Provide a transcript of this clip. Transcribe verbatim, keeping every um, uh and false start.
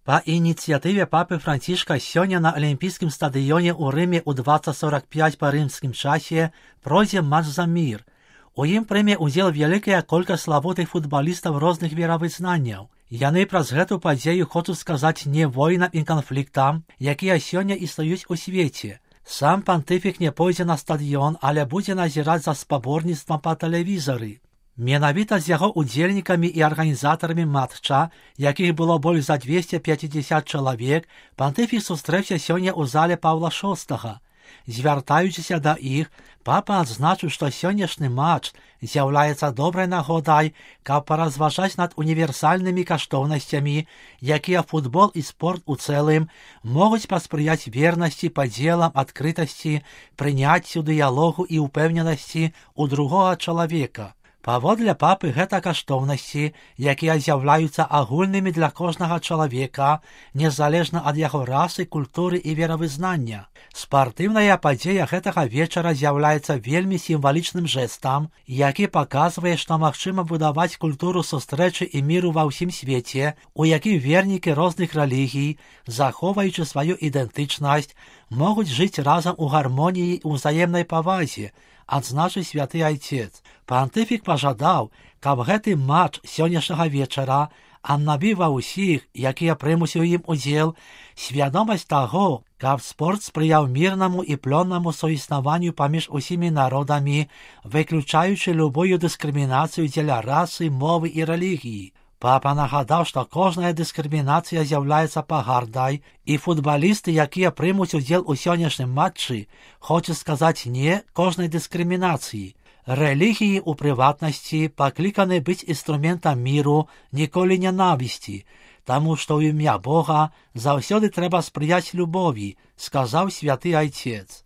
Па ініцыятыве папы Францішка сёння на алімпійскім стадыёне ў Рыме ў двадцать сорок пять па рымскім часе пройдзе матч за мір. У ім прыме ўдзел вялікая колькасць славутых футбалістаў розных веравызнанняў. Яны праз гэту падзею хочуць сказаць не войнам і канфліктам, якія сёння існуюць у свеце. Сам пантыфік не пойдзе на стадыён, але будзе назіраць за спаборніцтвам па тэлевізары. Менавіта з яго удзельнікамі і арганізатарамі матча, якіх было больш за двести пятьдесят чалавек, пантыфік сустрэўся сёння ў зале Паўла шостага. Звяртаючыся да іх, папа адзначыў, што сённяшні матч з'яўляецца добрай нагодай, каб паразважаць над універсальнымі каштоўнасцямі, якія футбол і спорт у цэлым могуць паспрыяць вернасці, падзелам, адкрытасці, прыняццю, дыялогу і ўпэўненасці ў другога чалавека. Паводле папы гэта каштоўнасці, якія з'яўляюцца агульнымі для кожнага чалавека, незалежна ад яго расы, культуры і веравызнання. Спартыўная падзея гэтага вечара з'яўляецца вельмі сімвалічным жэстам, які паказвае, што магчыма будаваць культуру сустрэчы і міру ва ўсім свеце, у якім вернікі розных рэлігій, захоўваючы сваю ідэнтычнасць, могуць жыць разам у гармоніі і ўзаемнай павазе, адзначыў святы айцец. Пантыфік пажадаў, каб гэты матч сённяшняга вечара аднавіў ва ўсіх, якія прымуць у ім удзел, свядомасць таго, каб спорт спрыяў мірнаму і плённаму суіснаванню паміж усімі народамі, выключаючы любую дыскрымінацыю дзеля расы, мовы і рэлігіі. Папа нагадаў, што кожная дыскрымінацыя з'яўляецца пагардай, і футбалісты, якія прымуць удзел у сённяшнім матчы, хочуць сказаць не кожнай дыскрымінацыі. Рэлігіі ў прыватнасці пакліканы быць інструментам міру, ніколі нянавісці, таму што ў імя Бога заўсёды трэба спрыяць любові, сказаў святы айцец.